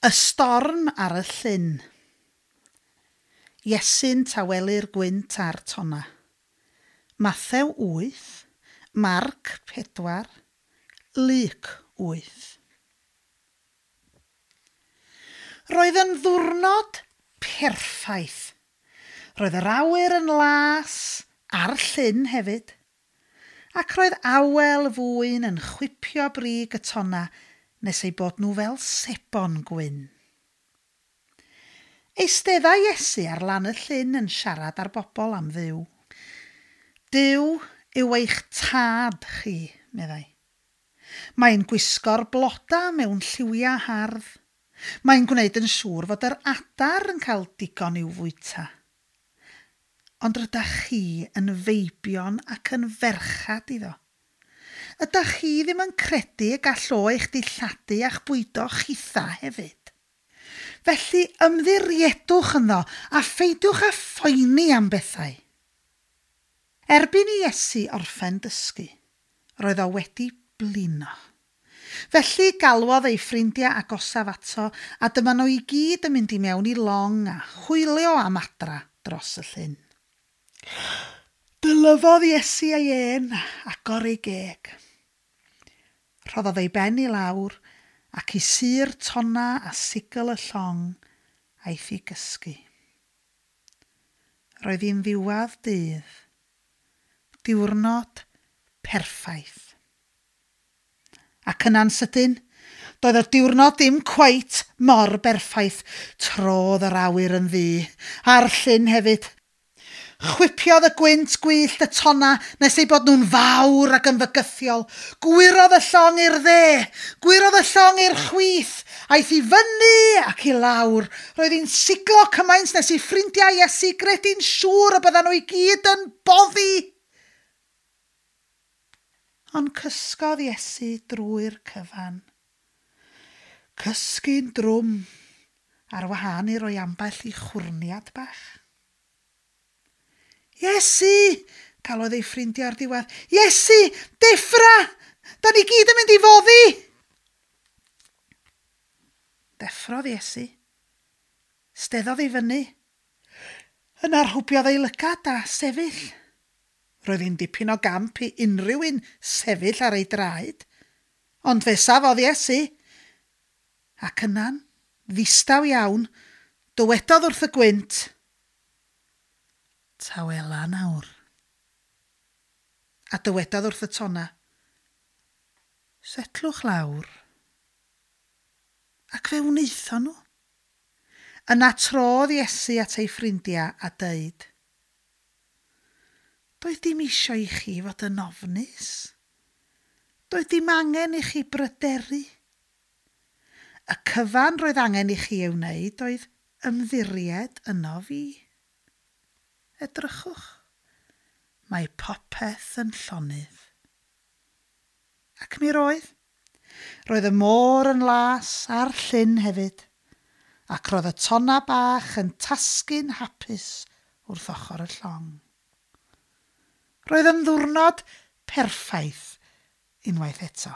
Y storm ar y llyn. Iesu'n tawelu'r gwynt a'r tonna. Mathew 8, Marc 4, Luc 8. Roedd yn ddwrnod perffaith. Roedd yr awyr yn las a'r llyn hefyd. Ac roedd awel fwyn yn chwipio brig y tonna nes eu bod nhw fel sebon gwyn. Eisteddai Iesu ar lan y llyn yn siarad â'r bobl am Dduw. Duw yw eich tad chi, meddai. Mae'n gwisgo'r bloda mewn lliwiau hardd. Mae'n gwneud yn siŵr fod yr adar yn cael digon i'w fwyta. Ond rydach chi yn feibion ac yn ferchad iddo. Ydach chi ddim yn credu y gall o eich dilladu a'ch bwydo chitha hefyd? Felly ymddiriedwch ynddo a pheidiwch â phoeni am bethau. Erbyn i Iesu orffen dysgu, roedd o wedi blino. Felly galwodd ei ffrindiau agosaf ato a dyma nhw i gyd yn mynd i mewn i long a hwylio am adra dros y llyn. Dylyfodd Iesu ei ên a agor ei geg. Rhoddodd ei ben i lawr ac i sur tonna a sigl y llong aeth i gysgu. Roedd hi'n ddiwedd dydd. Diwrnod perffaith. Ac yna'n sydyn, doedd y diwrnod ddim cweit mor berffaith. Trodd yr awyr yn ddu, a'r llyn hefyd. Chwipiodd y gwynt gwyllt y tonna nes eu bod nhw'n fawr ac yn fygythiol. Gwyrodd y llong i'r dde, gwyrodd y llong i'r chwith, aeth i fyny ac i lawr. Roedd hi'n siglo cymaint nes i ffrindiau Iesu gredu'n siŵr y byddan nhw i gyd yn boddi. Ond cysgodd Iesu drwy'r cyfan. Cysgu'n drwm, ar wahân i roi ambell i chwrniad bach. Iesu! Galwodd ei ffrindiau o'r diwedd. Iesu! Deffra! Da ni gyd yn mynd i foddi! Deffrodd Iesu. Steddodd i fyny. Yna rhwbiodd ei lygad a sefyll. Roedd hi'n dipyn o gamp i unrhyw un sefyll ar ei draed. Ond fe safodd Iesu. Ac yna'n ddistaw iawn, dywedodd wrth y gwynt, Tawela nawr. A dywedodd wrth y tonna, Setlwch lawr. Ac fe wnaethon nhw. Yna trodd Iesu at ei ffrindiau a dweud, Doedd dim eisiau i chi fod yn ofnus. Doedd dim angen i chi bryderu. Y cyfan roedd angen i chi ei wneud oedd ymddiried yno fi. Edrychwch, mae popeth yn llonydd. Ac mi roedd. Roedd y môr yn las a'r llyn hefyd, ac roedd y tonna bach yn tasgu'n hapus wrth ochr y llong. Roedd yn ddiwrnod perffaith unwaith eto.